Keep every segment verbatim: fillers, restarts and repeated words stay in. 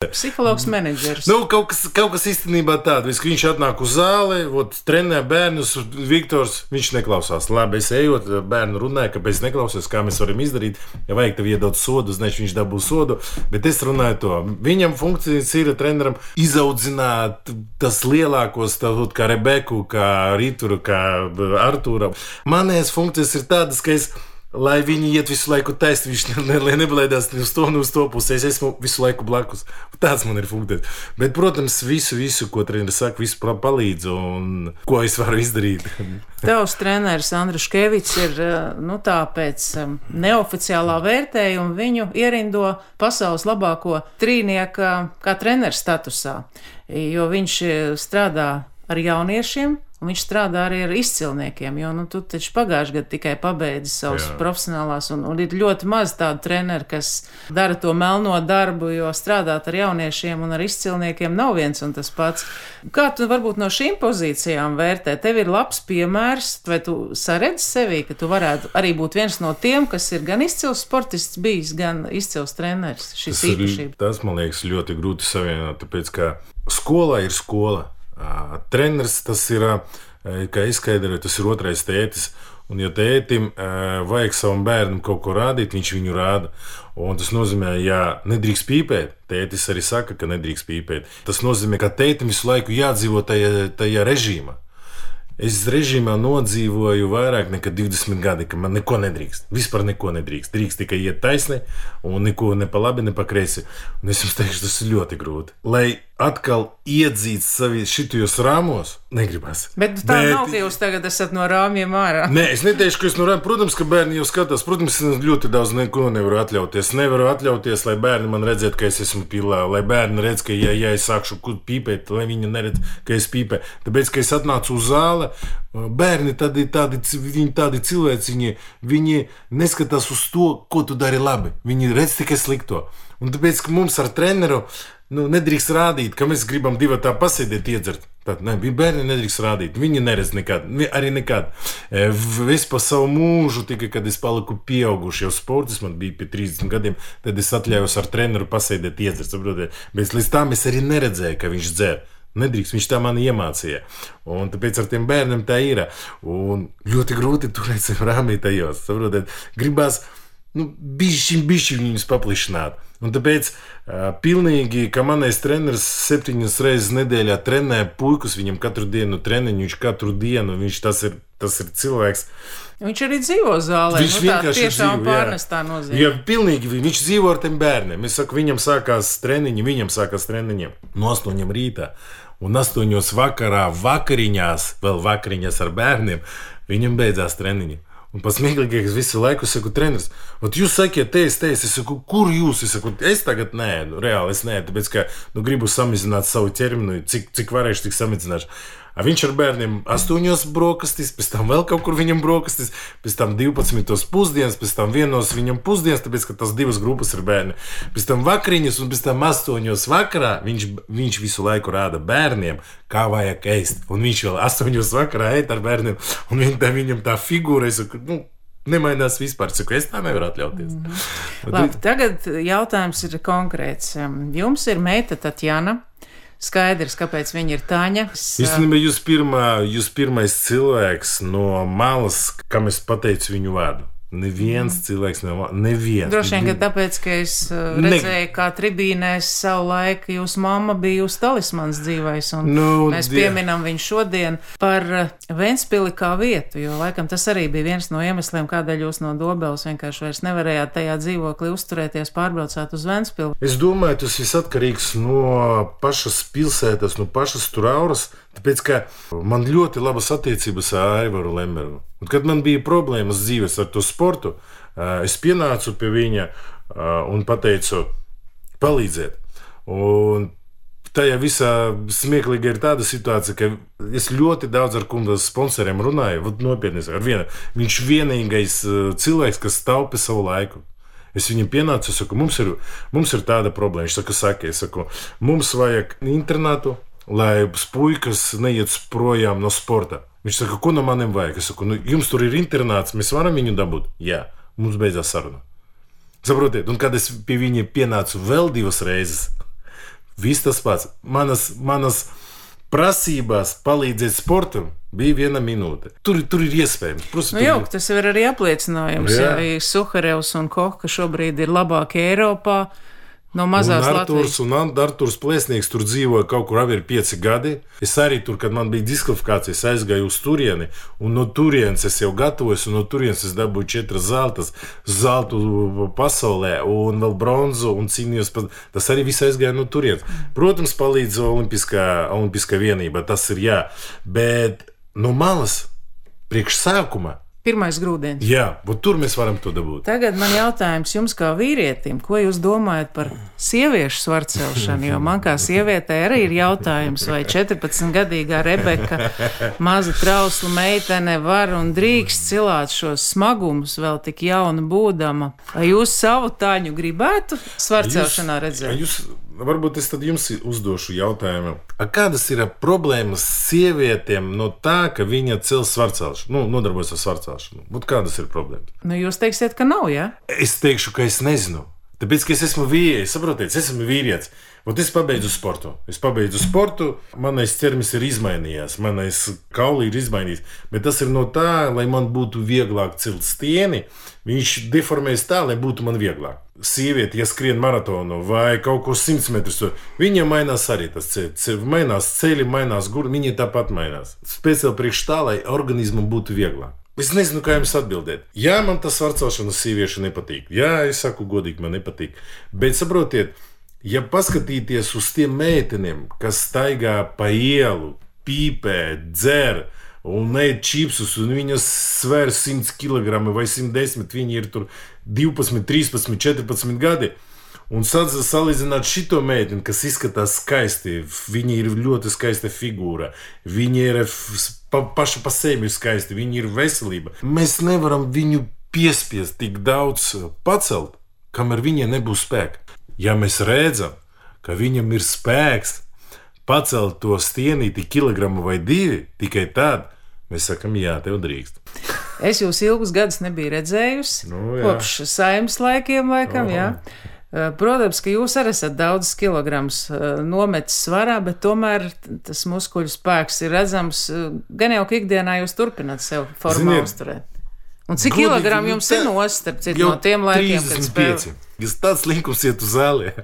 Psihologs menedžers. Nu, kaut kas, kaut kas īstenībā tāds, ka viņš atnāk uz zāli, ot, trenē bērnus, Viktors, viņš neklausās. Labi, es ejot, bērnu runāju, kāpēc neklausās, kā mēs varam izdarīt. Ja vajag tev iedot sodu, znači viņš dabū sodu, bet es runāju to. Viņam funkcijas ir treneram izaudzināt tas lielākos, tā, kā Rebeku, kā Rituru, kā Artūra. Manējās funkcijas ir tādas, ka es lai viņi iet visu laiku taist, viņš ne, ne, neblaidās ne uz to, ne uz to pusi. Es esmu visu laiku blakus. Tāds man ir funkcijas. Bet, protams, visu, visu, ko treneris saka, visu palīdzu un ko es varu izdarīt. Tavs treneris Andris Škevits ir, nu tā, pēc neoficiālā vērtējuma viņu ierindo pasaules labāko trīnieka kā treneris statusā, jo viņš strādā ar jauniešiem. Un viņš strādā arī ar izcilniekiem, jo nu, tu taču pagājušajā gadā tikai pabeidzi savus Jā. profesionālās, un, un ir ļoti maz tādu treneru, kas dara to melno darbu, jo strādāt ar jauniešiem un ar izcilniekiem nav viens un tas pats. Kā tu varbūt no šīm pozīcijām vērtē? Tev ir labs piemērs, vai tu saredzi sevī, ka tu varētu arī būt viens no tiem, kas ir gan izcils sportists bijis, gan izcils treneris? Šis tas, īpašība. Tas, man liekas, ļoti grūti savienot, tāpēc, ka skola ir skola. Treneris tas ir, kā izskaidroju, tas ir otrais tētis. Un, ja tētim vajag savam bērnam kaut ko rādīt, viņš viņu rāda. Un tas nozīmē, ja nedrīkst pīpēt, tētis arī saka, ka nedrīkst pīpēt. Tas nozīmē, ka tētim visu laiku jādzīvo tajā, tajā režīmā. Es režīmā nodzīvoju vairāk nekā divdesmit gadi, ka man neko nedrīkst. Vispār neko nedrīkst. Drīkst tikai iet taisni un neko ne pa labi, ne pa kreisi. Un es jums teikšu, tas ir ļoti grūti. Lai atkal iedzīt savi šitajos rāmos, negribas. Bet tā Bet... nav, ka jūs tagad esat no rāmjiem ārā. Nē, es neteikšu, ka es no rāmjiem. Protams, ka bērni jau skatās. Protams, es ļoti daudz neko nevaru atļauties. Nevaru atļauties, lai bērni man redzētu, ka es esmu pilā. Lai bērni redz, ka ja, ja es sākšu pīpēt, lai viņi neredz, ka es pīpēju. Tāpēc, ka es atnācu uz zāli, bērni tādi, tādi, viņi tādi cilvēci, viņi, viņi neskatās uz to, ko tu dari labi. Viņi redz tikai slikto. Un tāpēc, ka mums ar treneru nu, nedrīkst rādīt, ka mēs gribam divi tā pasēdēt, iedzert. Tad, ne, bērni nedrīkst rādīt. Viņi neredz nekad, arī nekad. Es pa savu mūžu, tikai kad es paliku pieauguši jau sportis, man bija pie trīsdesmit gadiem, tad es atļaujos ar treneru pasēdēt, iedzert. Saprotiet? Bet līdz tam es arī neredzēju, ka viņš dzer. Nedrīkst, viņš tā man iemācīja. Un tāpēc ar tiem bērniem tā ir. Un ļoti grūti turēt sev rāmī tajos. Saprotiet? Gribās nu, bišķiņ, bišķiņ viņus paplišināt. Un tāpēc uh, pilnīgi, ka manais treneris septiņas reizes nedēļā trenē puikus, viņam katru dienu treniņu, viņš katru dienu, viņš tas ir, tas ir cilvēks. Viņš arī dzīvo zālē, viņš nu tā tiešām pārnestā nozīmē. Jā, pilnīgi, viņš dzīvo ar tiem bērniem. Es saku, viņam sākās treniņi, viņam sākās treniņiem no astoņiem rītā. Un astoņos vakarā, vakariņās, vēl vakariņās ar bērniem, viņam beidzās treniņi. Un pats smieklīgākais visu laiku saku, treneris, ot jūs sakiet, te es, te es, es saku, kur jūs? Es saku, es tagad nē, nu, reāli es nē, tāpēc, ka nu, gribu samazināt savu ķermeni, cik, cik varēšu, tik samazināšu. A viņš ar bērniem astoņos brokastis, pēc tam vēl kaut kur viņam brokastis, pēc tam divpadsmitos pusdienas, pēc tam vienos viņam pusdienas, tāpēc, ka tas divas grupas ir bērni. Pēc tam vakariņas un pēc tam astoņos vakarā viņš, viņš visu laiku rāda bērniem, kā vajag ēst. Un viņš vēl astoņos vakarā ēt ar bērniem, un viņ, tā, viņam tā figūra, es saku, nu, nemainās vispār, saku, es tā nevaru atļauties. Mm-hmm. Labi, tagad jautājums ir konkrēts. Jums ir meita Tatjana. Skaidrs, kāpēc viņa ir Taņa. Īstenībā jūs, pirmā, jūs pirmais cilvēks no malas, kam es pateicu viņu vārdu. Neviens mm. cilvēks nav, neviens. Droši vien, ka tāpēc, ka es redzēju, ne... kā tribīnēs savu laiku jūsu mamma bija jūsu talismans dzīvais, un nu, mēs die... pieminam viņu šodien par Ventspili kā vietu, jo laikam tas arī bija viens no iemesliem, kādēļ jūs no Dobeles vienkārši vairs nevarējāt tajā dzīvoklī uzturēties, pārbraucāt uz Ventspili. Es domāju, tas viss atkarīgs no pašas pilsētas, no pašas tur auras, tāpēc, ka man ļoti labas attiecības ar Aivaru Lembergu. Un, kad man bija problēmas dzīves ar to sportu, es pienācu pie viņa un pateicu, palīdziet. Un tajā visā smieklīga ir tāda situācija, ka es ļoti daudz ar kundas sponsoriem runāju, vat nopietni ar vienu. Viņš vienīgais cilvēks, kas taupa savu laiku. Es viņam pienācu, es saku, mums ir, mums ir tāda problēma. Viņš saka, saka, es saku, mums vajag internātu, lai puikas neiet projām no sporta. Viņš saka, ko no maniem vajag? Es saku, nu, jums tur ir internāts, mēs varam viņu dabūt? Jā, mums beidzās saruna. Saprotiet, un kad es pie viņa pienācu vēl divas reizes, Viss tas pats. Manas, manas prasībās palīdzēt sportam bija viena minūte. Tur, tur ir iespējams. Protams, nu, jau, tas ir arī apliecinājums. Jā. Ja Suharevs un Koka šobrīd ir labākie Eiropā. No mazās un Arturs, Latvijas. Un Arturs Plēsnieks tur dzīvoja kaut kur abi ir pieci gadi. Es arī tur, kad man bija diskvalifikācijas, aizgāju uz turieni, un no turienes es jau gatavojos, un no turienes es dabūju četras zeltas, zeltu pasaulē, un vēl bronzu, un cīnījos. Tas arī viss aizgāja no turienes. Protams, palīdz olimpiskā, olimpiskā vienība, tas ir jā, bet no malas priekš sākuma. Pirmais grūdienis. Jā, bet tur mēs varam to dabūt. Tagad man jautājums jums kā vīrietim, ko jūs domājat par sieviešu svarcelšanu? Jo man kā sievietei arī ir jautājums, vai četrpadsmitgadīgā Rebeka, maza trausla meitene var un drīkst cilāt šos smagumus vēl tik jauna būdama. Vai jūs savu taņu gribētu svarcelšanā redzēt? Jūs, varbūt es tad jums uzdošu jautājumu. A kādas ir problēmas sievietēm no tā, ka viņa cel svarcelšanu, nu, nodarbojas ar svarcelšanu? Būt kādas ir problēmas? Nu, jūs teiksiet, ka nav, jā? Ja? Es teikšu, ka es nezinu. Tāpēc, ka es esmu vīrietis, saprotiet, es esmu vīrietis. Un es pabeidzu sportu. Es pabeidzu sportu, manais ķermenis ir izmainījies, manais kauli ir izmainījies. Bet tas ir no tā, lai man būtu vieglāk celt stieni, viņš deformējas tā, lai būtu man vieglāk. Sieviete, ja skrien maratonu vai kaut ko simts metrus, viņa mainās arī tas ceļš. Mainās ceļi, mainās gurni, viņa tāpat mainās. Speciāli priekš tā, lai organismam būtu vieglāk. Es nezinu, kā jums atbildēt. Jā, man tas svarcelšana sieviešu nepatīk. Jā, es saku godīgi, man nepatīk. Bet saprotiet, ja paskatīties uz tiem meiteniem, kas staigā pa ielu, pīpē, dzer un ēd čipsus, un viņas svēr simt kilogramu vai simt desmit, viņi ir tur divpadsmit, trīspadsmit, četrpadsmit gadi. Un salīdzināt šito meiteni, kas izskatās skaisti, viņa ir ļoti skaista figūra, viņa ir pa, paša pa sevi skaisti, viņa ir veselība. Mēs nevaram viņu piespiest tik daudz pacelt, kamēr viņai nebūs spēka. Ja mēs redzam, ka viņam ir spēks pacelt to stienīti kilogramu vai divi, tikai tad mēs sakam, jā, tev drīkst. Es jūs ilgus gadus nebiju redzējusi, nu, kopš saimnes laikiem laikam, oh. jā. Protams, ka jūs arī esat daudz kilogramus nometis svarā, bet tomēr tas muskuļu spēks ir redzams. Gan jau, ka ikdienā jūs turpināt sev formā uzturēt. Un cik Godīgi, kilogramu jums ir nostarp citu no tiem laikiem, kad spēlē? Tas tāds likums iet uz zāli.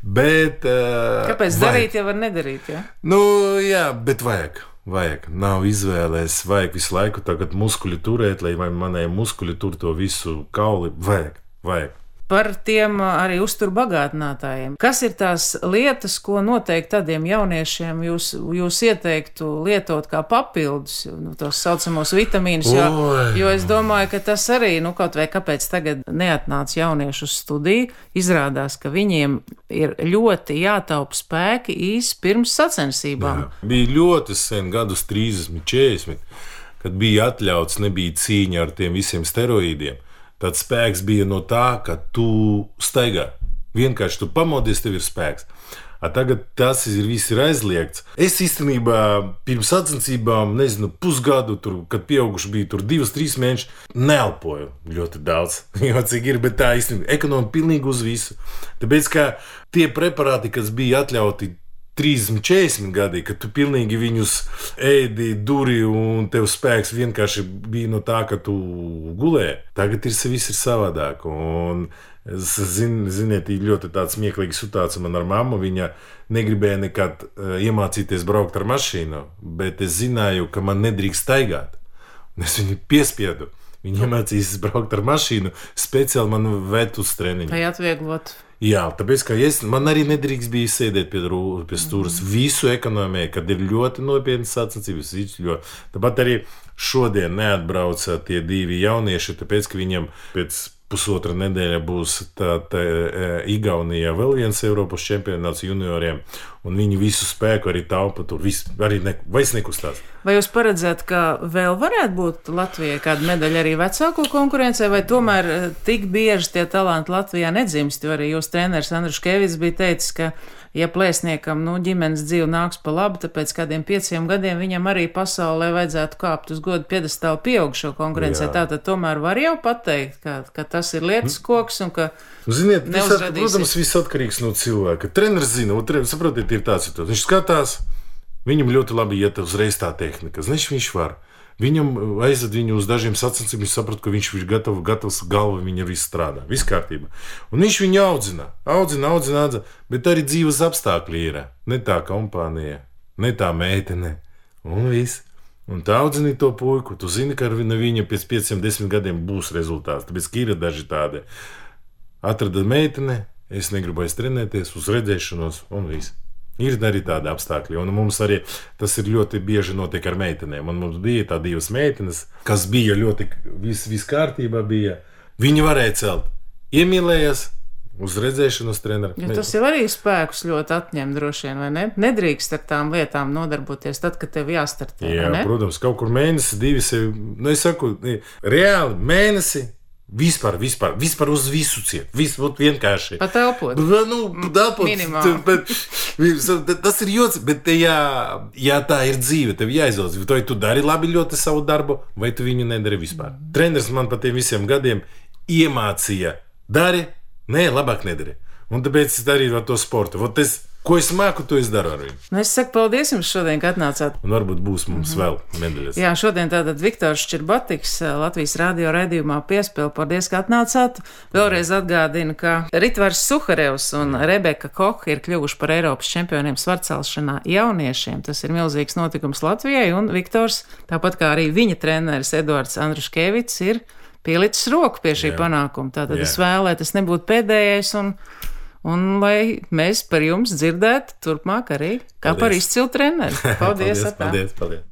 Bet... Uh, Kāpēc vajag. Darīt, ja var nedarīt, jā? Nu, jā, bet vajag. Vajag. Nav izvēlēs. Vajag visu laiku tagad muskuļu turēt, lai manai muskuļu tur to visu kauli. Vajag. Vajag. Par tiem arī uzturbagātinātājiem. Kas ir tās lietas, ko noteikti tādiem jauniešiem jūs, jūs ieteiktu lietot kā papildus, nu, tos saucamos vitamīnus, jo, jo es domāju, ka tas arī, nu, kaut vai kāpēc tagad neatnāca jauniešu uz studiju, izrādās, ka viņiem ir ļoti jātaupa spēki īsi pirms sacensībām. Jā. Bija ļoti sen, gadus trīsdesmit, četrdesmit, kad bija atļauts, nebija cīņa ar tiem visiem steroīdiem. Tad spēks bija no tā, ka tu staigā. Vienkārši tu pamodies, tev ir spēks. A tagad tas ir viss ir aizliegts. Es īstenībā pirms sacensībām, nezinu, pusgadu, tur, kad pieauguši bija tur divas, trīs mēnešus, neelpoju ļoti daudz. Jo cik ir, bet tā īstenībā ekonomika pilnīgi uz visu. Tāpēc, ka tie preparāti, kas bija atļauti trīsdesmit, četrdesmit gadi, kad tu pilnīgi viņus ēdi, duri un tev spēks vienkārši bija no tā, ka tu gulēji. Tagad ir viss ir savādāk. Un, zin, ziniet, ļoti tāds smieklīgs situācija man ar mammu. Viņa negribēja nekad uh, iemācīties braukt ar mašīnu, bet es zināju, ka man nedrīkst staigāt. Un es viņu piespiedu. Viņa iemācījās braukt ar mašīnu, speciāli man ved uz treniņu. Lai atvieglot. Jā, tāpēc, ka es, man arī nedrīkst bija sēdēt pie, pie stūras mm. visu ekonomiju, kad ir ļoti nopietnas sacensības. Tāpat arī šodien neatbrauca tie divi jaunieši, tāpēc, ka viņam pēc pusotra nedēļa būs tā, tā Igaunijā vēl viens Eiropas čempionāts junioriem, un viņi visu spēku arī taupa tur, visu, arī ne, vairs nekustās. Vai jūs paredzat, ka vēl varētu būt Latvijai kāda medaļa arī vecāko konkurencē, vai tomēr tik bieži tie talanti Latvijā nedzimst, jo arī jūs treneris Andris Škēvits bija teicis, ka ja plēsniekam, nu, ģimenes dzīve nāks pa labu, tāpēc kādiem pieciem gadiem viņam arī pasaulē vajadzētu kāpt uz godu piedestālu pieaugšo konkurencē. Tātad tomēr var jau pateikt, ka, ka tas ir lietas koks un ka Ziniet, visat, protams, viss atkarīgs no cilvēka. Treneris zina, un treneris, saprotiet, ir tāds, ir tāds. Viņš skatās, viņam ļoti labi iet uzreiz tā tehnika. Viņš viņš var. Viņam aizved viņu uz dažiem sacensībiem, viņš saprot, ka viņš ir gatavs, gatavs galva, viņa viss strādā, viss kārtībā. Un viņš viņu audzina, audzina, audzina, audzina, bet arī dzīves apstākļi ir. Ne tā kompānija, ne tā meitene, un viss. Un tā audzina to puiku, tu zini, ka no viņa pēc pieciem, desmit gadiem būs rezultāts, tāpēc, ka ir daži tādi. Atrada meitene, es negribu aiz trenēties, uz redzēšanos, un viss. Ir arī tādi apstākļi, un mums arī tas ir ļoti bieži notiek ar meitenēm. Un mums bija tā divas meitenes, kas bija ļoti viss vis kārtībā bija. Viņi varēja celt, iemīlējās uz redzēšanos treneru. Ja tas jau arī spēkus ļoti atņem droši vien, vai ne? Nedrīkst ar tām lietām nodarboties tad, kad tev jāstartē, Jā, vai ne? Protams, kaut kur mēnesi, divi sevi, nu es saku, reāli mēnesi. Vispār, vispār, vispār uz visu ciet. Viss būtu vienkārši. Pat elpot. Nu, elpot. Bet, tas ir joks, bet ja, ja tā ir dzīve, tev jāizvēlas. Vai tu dari labi ļoti savu darbu, vai tu viņu nedari vispār. Treneris man pa tiem visiem gadiem iemācīja. Dari, nē, labāk nedari. Un tāpēc es darīju ar to sportu. Vot es, ko es māku, to es daru ar viņu. Nu, es saku paldies jums šodien, ka atnācāt. Un varbūt būs mums mm-hmm. vēl medaļas. Jā, šodien tātad Viktors Šķirbatiks, Latvijas radio raidījumā Piespēle. Paldies, ka atnācāt. Vēlreiz atgādinu, ka Ritvars Suharevs un Rebeka Koha ir kļuvuši par Eiropas čempioniem svarcelšanā jauniešiem. Tas ir milzīgs notikums Latvijai, un Viktors, tāpat kā arī viņa treneris Eduards Andruškevits, ir pielicis roku pie šī Jā. panākuma. Tātad Jā. es vēlu, lai tas nebūtu pēdējais, un Un lai mēs par jums dzirdētu turpmāk arī, kā paldies. Par izcilu treneri. Paldies! paldies, paldies, paldies.